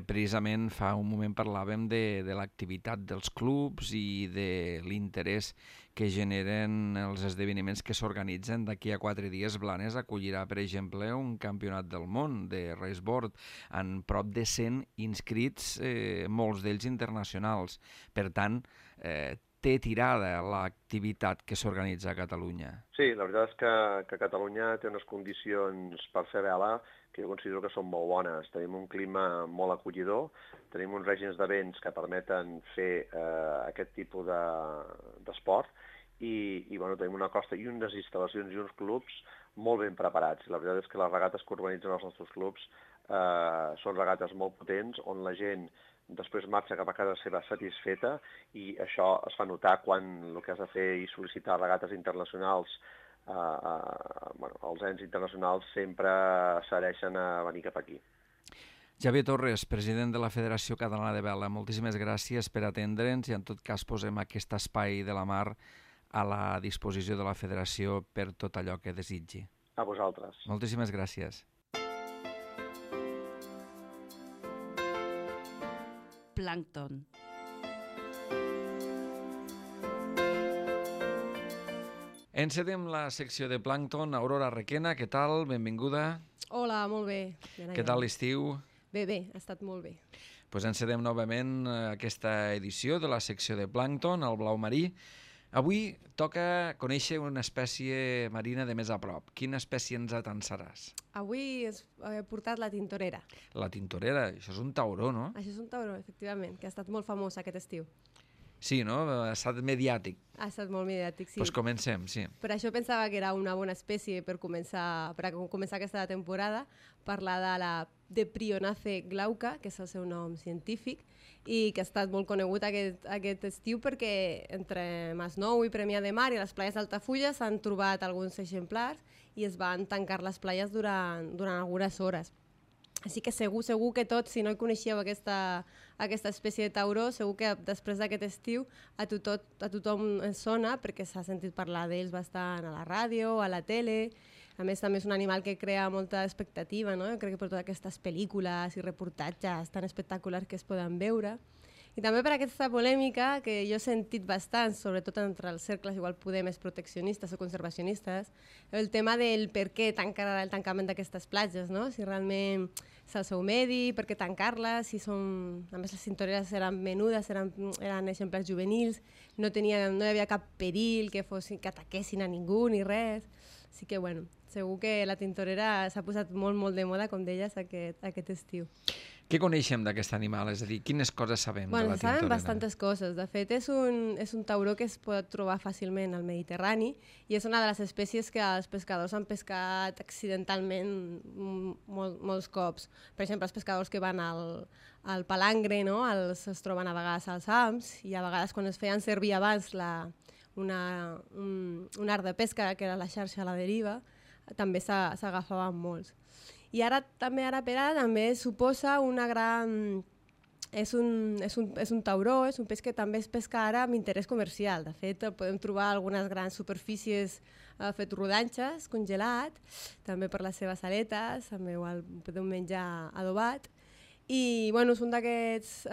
Precisament fa un moment parlàvem de l'activitat dels clubs i de l'interès que generen els esdeveniments que s'organitzen. D'aquí a 4 dies Blanes acollirà, per exemple, un campionat del món de raceboard amb prop de 100 inscrits, molts d'ells internacionals. Per tant, té tirada l'activitat que s'organitza a Catalunya. Sí, la veritat és que Catalunya té unes condicions per fer vela que jo considero que són molt bones. Tenim un clima molt acollidor, tenim uns règims de vents que permeten fer aquest tipus d'esport i tenim una costa i unes instal·lacions i uns clubs molt ben preparats. La veritat és que les regates que organitzen els nostres clubs són regates molt potents, on la gent després marxa cap a casa seva satisfeta, i això es fa notar quan el que has de fer i sol·licitar regates internacionals, els ens internacionals sempre s'adhereixen a venir cap aquí. Xavier Torres, president de la Federació Catalana de Vela, moltíssimes gràcies per atendre'ns i en tot cas posem aquest espai de la mar a la disposició de la Federació per tot allò que desitgi. A vosaltres. Moltíssimes gràcies. Plàncton. Encedem la secció de Plàncton. Aurora Requena, què tal? Benvinguda. Hola, molt bé. Què tal l'estiu? Bé, ha estat molt bé. Doncs encedem novament aquesta edició de la secció de Plàncton, el blau marí. Avui toca conèixer una espècie marina de més a prop. Quina espècie ens atansaràs? Avui he portat la tintorera. La tintorera? Això és un tauró, no? Això és un tauró, efectivament, que ha estat molt famós aquest estiu. Sí, no? Ha estat mediàtic. Ha estat molt mediàtic, sí. Doncs comencem, sí. Per això pensava que era una bona espècie per començar aquesta temporada, parlar de la Deprionace glauca, que és el seu nom científic, i que ha estat molt conegut aquest estiu perquè entre Masnou i Premià de Mar i les playes d'Altafulla s'han trobat alguns exemplars i es van tancar les playes durant algunes hores. Així que segur que tots, si no hi coneixeu aquesta espècie de tauró, segur que després d'aquest estiu a tothom ens sona perquè s'ha sentit parlar d'ells bastant a la ràdio, a la tele. A més, també és un animal que crea molta expectativa, no? Jo crec que per totes aquestes pel·lícules i reportatges tan espectaculars que es poden veure. I també per aquesta polèmica que jo he sentit bastant, sobretot entre els cercles igual poder més proteccionistes o conservacionistes, el tema del per què tancar el tancament d'aquestes platges, no? Si realment és el seu medi, per què tancar-les, si són... A més, les tintoreres eren menudes, eren exemples juvenils, no hi havia cap perill que ataquessin a ningú ni res. Així que, bueno, segur que la tintorera s'ha posat molt, molt de moda, com deies, aquest estiu. Què coneixem d'aquest animal? És a dir, quines coses sabem de la tintorera? Sabem bastantes coses. De fet, és un tauró que es pot trobar fàcilment al Mediterrani i és una de les espècies que els pescadors han pescat accidentalment molts cops. Per exemple, els pescadors que van al palangre, no? Es troben a vegades als hams i a vegades quan es feien servir abans un art de pesca, que era la xarxa a la deriva, també s'agafaven molts. I ara per ara també suposa una gran... És un tauró, és un peix que també es pesca ara amb interès comercial. De fet, podem trobar algunes grans superfícies fet rodanxes, congelat, també per les seves aletes, també igual podem menjar adobat. I bueno, és un d'aquests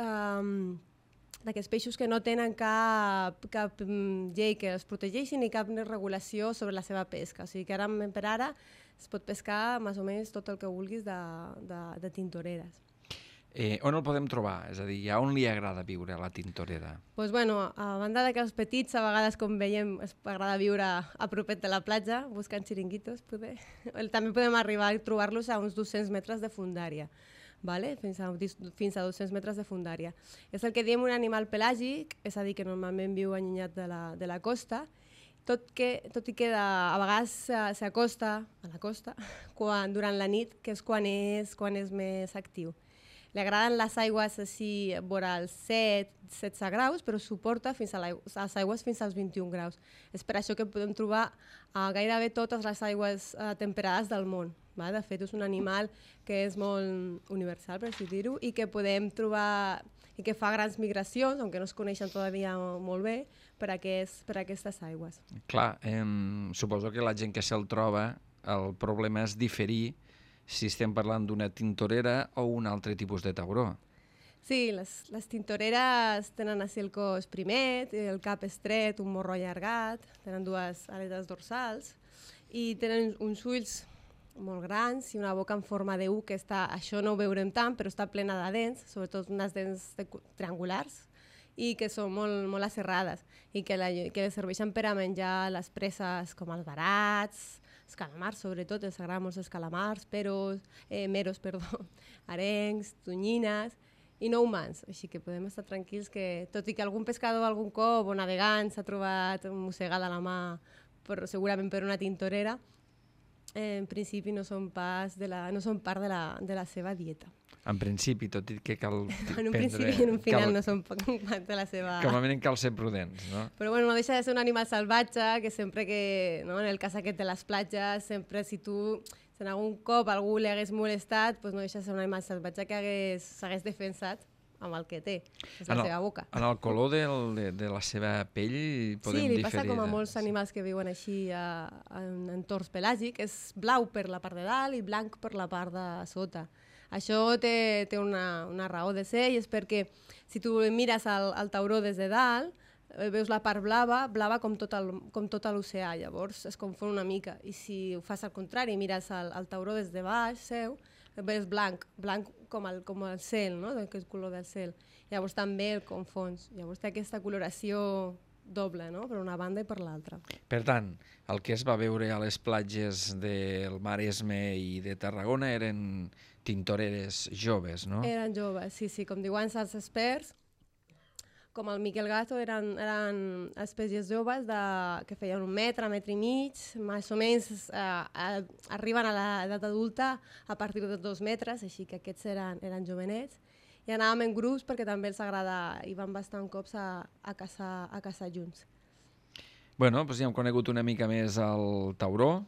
peixos que no tenen cap llei que els protegeixi ni cap regulació sobre la seva pesca. O sigui que ara per ara es pot pescar més o menys tot el que vulguis de tintoreres. On el podem trobar? És a dir, a on li agrada viure a la tintorera? Doncs bueno, a banda que els petits a vegades, com veiem, es agrada viure a propet de la platja, buscant xiringuitos, poder. També podem arribar a trobar-los a uns 200 metres de fondària. Vale? Fins a 200 metres de fondària. És el que diem un animal pelàgic, és a dir, que normalment viu allunyat de la costa, tot i que a vegades s'acosta a la costa durant la nit, que és quan és més actiu. Li agraden les aigües així vora els 16 graus, però suporta fins a les aigües fins als 21 graus. És per això que podem trobar gairebé totes les aigües temperades del món. De fet, és un animal que és molt universal, per així dir-ho, i que podem trobar i que fa grans migracions, aunque no es coneixen todavía molt bé, per aquestes aigües. Clar, suposo que la gent que se'l troba, el problema és diferir si estem parlant d'una tintorera o un altre tipus de tauró. Sí, les tintoreres tenen així el cos primet, el cap estret, un morro allargat, tenen dues aletes dorsals i tenen uns ulls molt grans i una boca en forma de U, que això no ho veurem tant, però està plena de dents, sobretot unes dents triangulars, i que són molt aserrades i que les serveixen per a menjar les preses com els barats, els calamars, sobretot, els agraden molts els calamars, meros, arengs, tonyines i no humans. Així que podem estar tranquils que, tot i que algun pescador algun cop o navegant s'ha trobat mossegada la mà, segurament per una tintorera, en principi no són part de la seva dieta. En principi, tot i que cal en un principi i en un final no són part de la seva... Com a mínim cal ser prudents, no? Però bueno, no deixa de ser un animal salvatge que sempre que, no, en el cas aquest de les platges, sempre si en algun cop algú li hagués molestat, doncs no deixa de ser un animal salvatge que s'hagués defensat amb el que té, és la seva boca. En el color de la seva pell podem diferir. Sí, li passa com a molts animals que viuen així en entorns pelàgics, és blau per la part de dalt i blanc per la part de sota. Això té una raó de ser i és perquè si tu mires el tauró des de dalt, veus la part blava com tot l'oceà, llavors es confon una mica. I si ho fas al contrari, mires el tauró des de baix seu, ves blanc com el cel, no? Aquest color del cel. Llavors també el confons. Llavors té aquesta coloració doble, no? Per una banda i per l'altra. Per tant, el que es va veure a les platges del Maresme i de Tarragona eren tintoreres joves, no? Eren joves, sí. Com diuen els experts, com el Miquel Gato, eren espècies joves que feien 1 metre, 1 metre i mig, més o menys arriben a l'edat adulta a partir de 2 metres, així que aquests eren jovenets. I anàvem en grups perquè també els agrada, i van bastant cops a caçar junts. Bueno, doncs ja hem conegut una mica més el tauró,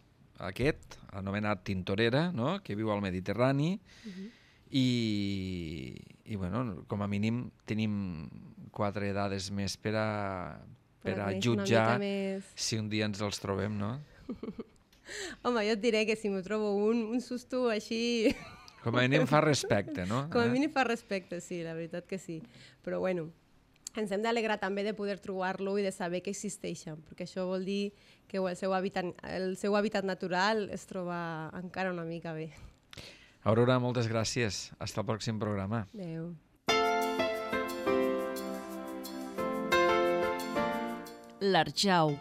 aquest, anomenat tintorera, no? Que viu al Mediterrani, i bueno, com a mínim tenim 4 dades més per a jutjar si un dia ens els trobem, no? Home, jo et diré que si m'ho trobo un susto així... Com a mínim fa respecte, no? Com a mínim fa respecte, sí, la veritat que sí. Però bueno, ens hem d'alegrar també de poder trobar-lo i de saber que existeixen, perquè això vol dir que el seu hàbitat natural es troba encara una mica bé. Aurora, moltes gràcies. Hasta el pròxim programa. Adéu. L'Arjau.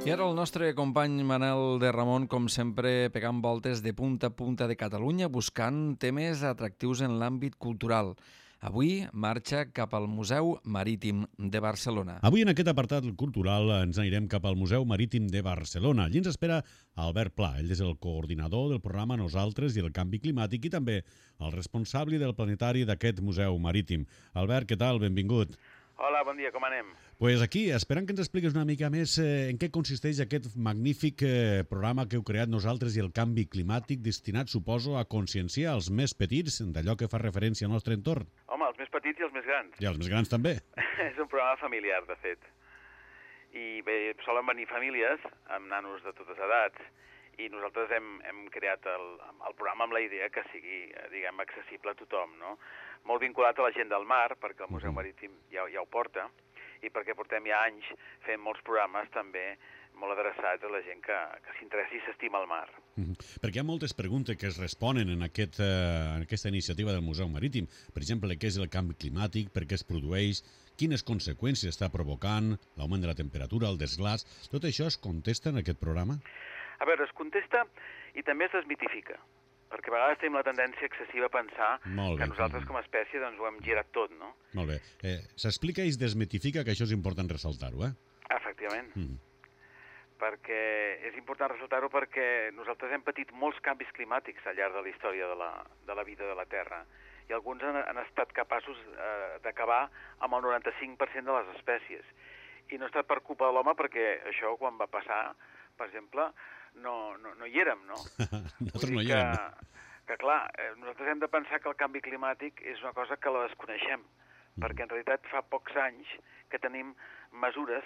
I ara el nostre company Manel de Ramon, com sempre, pegant voltes de punta a punta de Catalunya, buscant temes atractius en l'àmbit cultural. Avui marxa cap al Museu Marítim de Barcelona. Avui en aquest apartat cultural ens anirem cap al Museu Marítim de Barcelona. Allí ens espera Albert Pla. Ell és el coordinador del programa Nosaltres i el Canvi Climàtic i també el responsable del planetari d'aquest Museu Marítim. Albert, què tal? Benvingut. Hola, bon dia, com anem? Pues aquí, esperant que ens expliquis una mica més en què consisteix aquest magnífic programa que heu creat Nosaltres i el Canvi Climàtic, destinat, suposo, a conscienciar els més petits d'allò que fa referència al nostre entorn. Home, els més petits i els més grans. I els més grans també. És un programa familiar, de fet. I bé, solen venir famílies amb nanos de totes edats i nosaltres hem creat el programa amb la idea que sigui, diguem, accessible a tothom, no? Molt vinculat a la gent del mar, perquè el Museu Marítim ja ho porta, i perquè portem ja anys fent molts programes també molt adreçats a la gent que s'interessi i s'estima el mar. Perquè hi ha moltes preguntes que es responen en aquesta iniciativa del Museu Marítim. Per exemple, què és el canvi climàtic, per què es produeix, quines conseqüències està provocant, l'augment de la temperatura, el desglàs... Tot això es contesta en aquest programa? A veure, es contesta i també es desmitifica, perquè a vegades tenim la tendència excessiva a pensar que nosaltres com a espècie doncs, ho hem girat tot, no? Molt bé. S'explica i es desmitifica, que això és important ressaltar-ho, eh? Efectivament. Perquè és important ressaltar-ho perquè nosaltres hem patit molts canvis climàtics al llarg de la història de la vida de la Terra i alguns han estat capaços d'acabar amb el 95% de les espècies. I no ha estat per culpa de l'home perquè això quan va passar, per exemple, no hi érem, no? Nosaltres no hi érem. Que clar, nosaltres hem de pensar que el canvi climàtic és una cosa que la desconeixem, perquè en realitat fa pocs anys que tenim mesures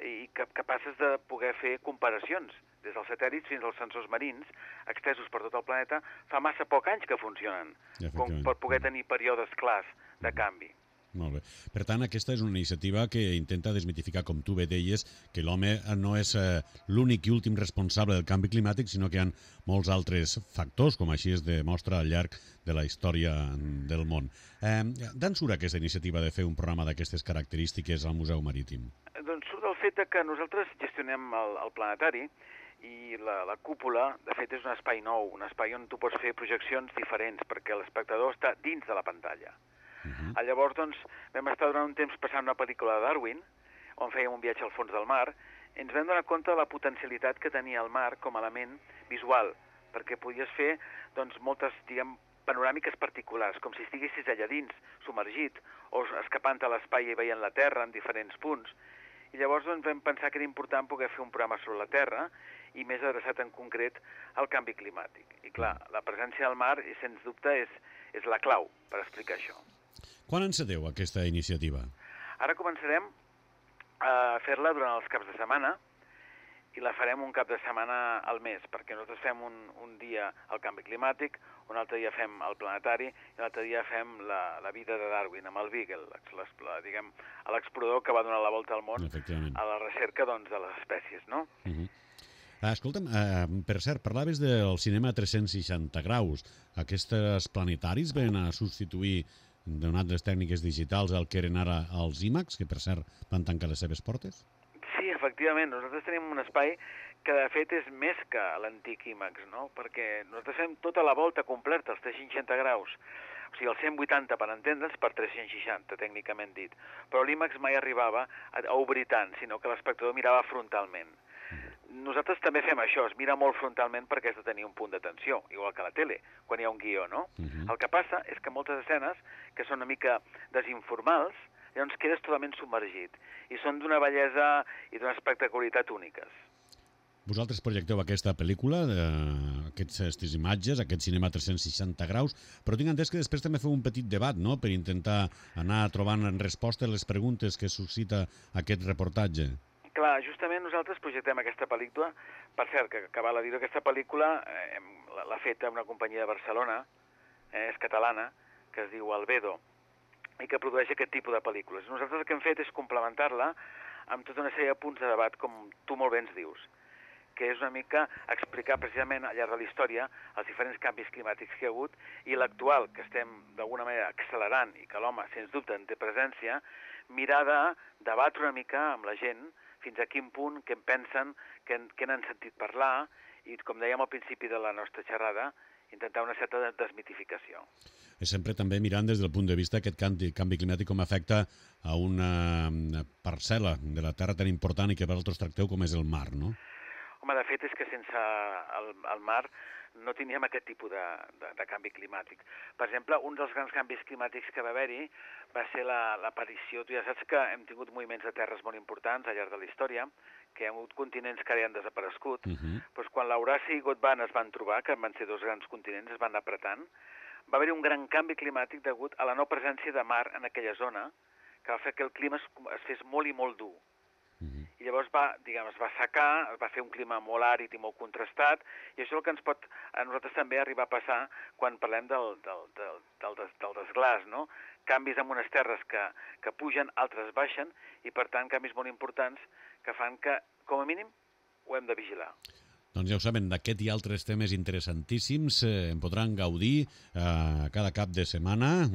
i capaces de poder fer comparacions, des dels satèl·lits fins als sensors marins, extesos per tot el planeta, fa massa poc anys que funcionen, com per poder tenir períodes clars de canvi. Molt bé. Per tant, aquesta és una iniciativa que intenta desmitificar, com tu bé deies, que l'home no és l'únic i últim responsable del canvi climàtic, sinó que hi ha molts altres factors, com així es demostra al llarg de la història del món. D'on surt aquesta iniciativa de fer un programa d'aquestes característiques al Museu Marítim? Doncs surt del fet que nosaltres gestionem el planetari i la cúpula, de fet, és un espai nou, un espai on tu pots fer projeccions diferents, perquè l'espectador està dins de la pantalla. Llavors, doncs, vam estar durant un temps passant una pel·lícula de Darwin, on fèiem un viatge al fons del mar, i ens vam donar compte de la potencialitat que tenia el mar com a element visual, perquè podies fer doncs, moltes, diguem, panoràmiques particulars, com si estiguessis allà dins, submergit, o escapant a l'espai i veient la Terra en diferents punts. I llavors doncs, vam pensar que era important poder fer un programa sobre la Terra i més adreçat en concret al canvi climàtic. I clar, la presència del mar, sens dubte, és la clau per explicar això. Quan enceteu aquesta iniciativa? Ara començarem a fer-la durant els caps de setmana i la farem un cap de setmana al mes, perquè nosaltres fem un dia el canvi climàtic, un altre dia fem el planetari i l'altre dia fem la vida de Darwin amb el Beagle, diguem, l'explorador que va donar la volta al món a la recerca doncs, de les espècies, no? Escolta'm, per cert, parlaves del cinema 360 graus. Aquests planetaris ven a substituir donat les tècniques digitals el que eren ara els IMAX, que per cert van tancar les seves portes? Sí, efectivament. Nosaltres tenim un espai que de fet és més que l'antic IMAX, no? Perquè nosaltres fem tota la volta completa, els 360 graus. O sigui, el 180 per entendre's per 360, tècnicament dit. Però l'IMAX mai arribava a obrir tant, sinó que l'espectador mirava frontalment. Nosaltres també fem això, es mira molt frontalment perquè has de tenir un punt d'atenció, igual que a la tele, quan hi ha un guió, no? El que passa és que moltes escenes, que són una mica desinformals, llavors quedes totalment submergit, i són d'una bellesa i d'una espectacularitat úniques. Vosaltres projecteu aquesta pel·lícula, aquestes imatges, aquest cinema 360 graus, però tinc entès que després també feu un petit debat, no?, per intentar anar trobant respostes a les preguntes que suscita aquest reportatge. Clar, justament nosaltres projectem aquesta pel·lícula. Per cert, que val a dir, aquesta pel·lícula l'ha feta una companyia de Barcelona, és catalana, que es diu Albedo, i que produeix aquest tipus de pel·lícules. Nosaltres el que hem fet és complementar-la amb tota una sèrie de punts de debat, com tu molt bé ens dius, que és una mica explicar precisament al llarg de la història els diferents canvis climàtics que hi ha hagut i l'actual, que estem d'alguna manera accelerant i que l'home, sens dubte, en té presència, mirar de debatre una mica amb la gent fins a quin punt, què en pensen, què n'han sentit parlar i, com dèiem al principi de la nostra xerrada, intentar una certa desmitificació. Sempre també mirant des del punt de vista aquest canvi climàtic com afecta a una parcel·la de la Terra tan important i que vosaltres tracteu com és el mar, no? Home, de fet és que sense el mar no teníem aquest tipus de canvi climàtic. Per exemple, un dels grans canvis climàtics que va haver-hi va ser l'aparició, tu ja saps que hem tingut moviments de terres molt importants al llarg de la història, que hi ha hagut continents que ara han desaparegut, doncs quan l'Euràsia i Gondwana es van trobar, que van ser dos grans continents, es van anar apretant, va haver-hi un gran canvi climàtic degut a la no presència de mar en aquella zona, que va fer que el clima es fes molt i molt dur. I llavors es va assecar, es va fer un clima molt àrid i molt contrastat, i això és el que ens pot a nosaltres també arribar a passar quan parlem del desglàs, no? Canvis en unes terres que pugen, altres baixen, i per tant canvis molt importants que fan que, com a mínim, ho hem de vigilar. Doncs ja ho saben, d'aquest i altres temes interessantíssims en podran gaudir cada cap de setmana,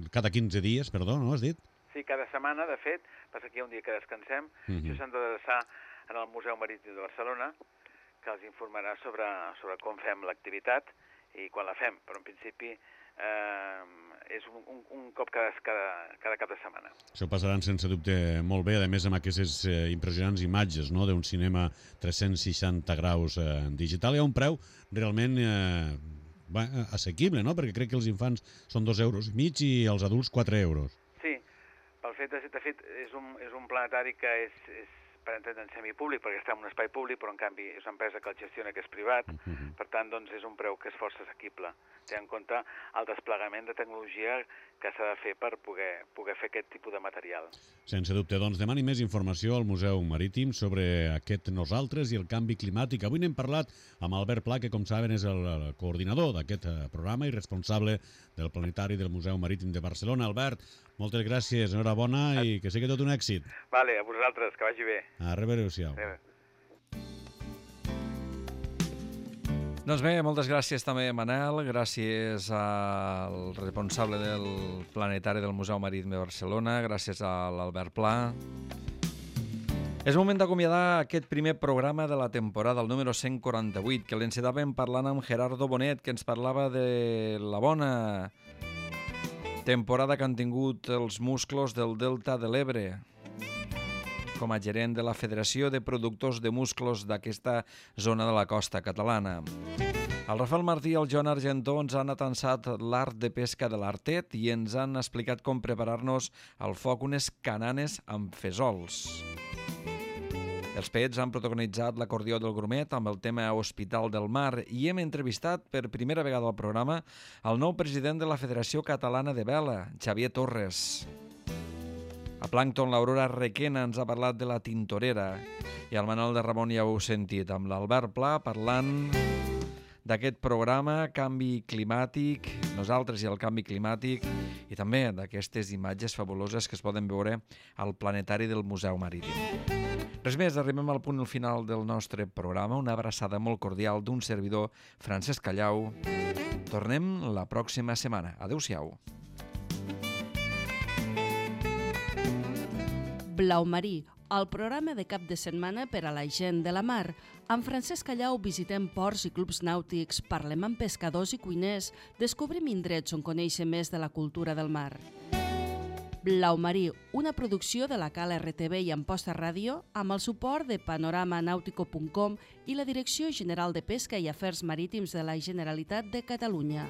cada 15 dies, perdó, no has dit? Sí, cada setmana, de fet, passa que hi ha un dia que descansem, això s'han d'adreçar en el Museu Marítim de Barcelona, que els informarà sobre com fem l'activitat i quan la fem, però en principi és un cop cada cap de setmana. Això passaran sense dubte molt bé, a més amb aquestes impressionants imatges, no?, d'un cinema 360 graus digital. Hi ha un preu realment assequible, no?, perquè crec que els infants són 2,5 euros i els adults 4 euros. Sí, pel fet, de fet, és un planetari que és per entendre en semipúblic, perquè està en un espai públic, però en canvi és una empresa que el gestiona, que és privat, per tant, doncs, és un preu que és força assequible. Té en compte el desplegament de tecnologia que s'ha de fer per poder fer aquest tipus de material. Sense dubte, doncs, demani més informació al Museu Marítim sobre aquest nosaltres i el canvi climàtic. Avui n'hem parlat amb Albert Pla, que, com saben, és el coordinador d'aquest programa i responsable del Planetari del Museu Marítim de Barcelona. Albert, moltes gràcies, enhorabona i que sigui tot un èxit. Vale, a vosaltres, que vagi bé. A reveure-us-siau. Doncs bé, moltes gràcies també, Manel, gràcies al responsable del Planetari del Museu Marítim de Barcelona, gràcies a l'Albert Pla. És moment d'acomiadar aquest primer programa de la temporada, el número 148, que l'encetàvem parlant amb Gerardo Bonet, que ens parlava de la bona temporada que han tingut els musclos del Delta de l'Ebre, com a gerent de la Federació de Productors de Musclos d'aquesta zona de la costa catalana. El Rafael Martí i el Joan Argentó ens han atansat l'art de pesca de l'Artet i ens han explicat com preparar-nos al foc unes cananes amb fesols. Els Pets han protagonitzat l'acordió del Grumet amb el tema Hospital del Mar i hem entrevistat per primera vegada al programa el nou president de la Federació Catalana de Vela, Xavier Torres. A Plàncton, l'Aurora Requena ens ha parlat de la tintorera i el Manel de Ramon ja ho heu sentit, amb l'Albert Pla parlant d'aquest programa Canvi Climàtic, nosaltres i el canvi climàtic, i també d'aquestes imatges fabuloses que es poden veure al Planetari del Museu Marítim. Res més, arribem al punt final del nostre programa, una abraçada molt cordial d'un servidor, Francesc Callau. Tornem la pròxima setmana. Adéu-siau. Blau Marí, el programa de cap de setmana per a la gent de la mar. Amb Francesc Callau visitem ports i clubs nàutics, parlem amb pescadors i cuiners, descobrim indrets on conèixer més de la cultura del mar. Blau Marí, una producció de la Cal RTV i Amposta Ràdio amb el suport de panoramanautico.com i la Direcció General de Pesca i Afers Marítims de la Generalitat de Catalunya.